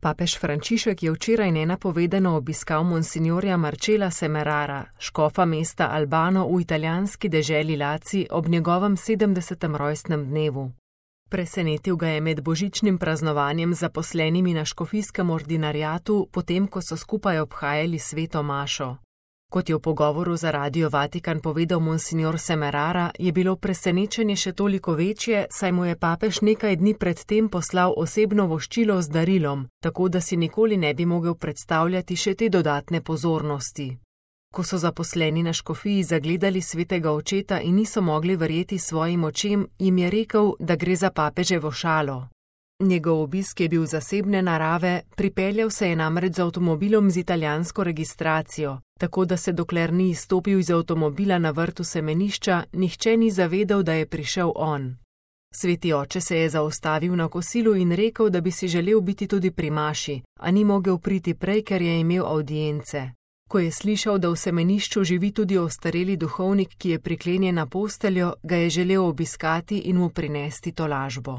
Papež Frančišek je včeraj nenapovedano obiskal monsinjorja Marcella Semerara, škofa mesta Albano v italijanski deželi Laci ob njegovem 70. rojstnem dnevu. Presenetil ga je med božičnim praznovanjem zaposlenimi na škofijskem ordinariatu, potem ko so skupaj obhajali sveto mašo. Kot je v pogovoru za Radio Vatikan povedal monsinjor Semerara, je bilo presenečenje še toliko večje, saj mu je papež nekaj dni pred tem poslal osebno voščilo z darilom, tako da si nikoli ne bi mogel predstavljati še te dodatne pozornosti. Ko so zaposleni na škofiji zagledali svetega očeta in niso mogli verjeti svojim očem, jim je rekel, da gre za papeževo šalo. Njegov obisk je bil zasebne narave, pripeljal se je namreč z avtomobilom z italijansko registracijo, tako da se dokler ni izstopil iz avtomobila na vrtu semenišča, nihče ni zavedal, da je prišel on. Sveti oče se je zaustavil na kosilu in rekel, da bi si želel biti tudi pri maši, a ni mogel priti prej, ker je imel avdience. Ko je slišal, da v semenišču živi tudi ostareli duhovnik, ki je priklenjen na posteljo, ga je želel obiskati in mu prinesti tolažbo.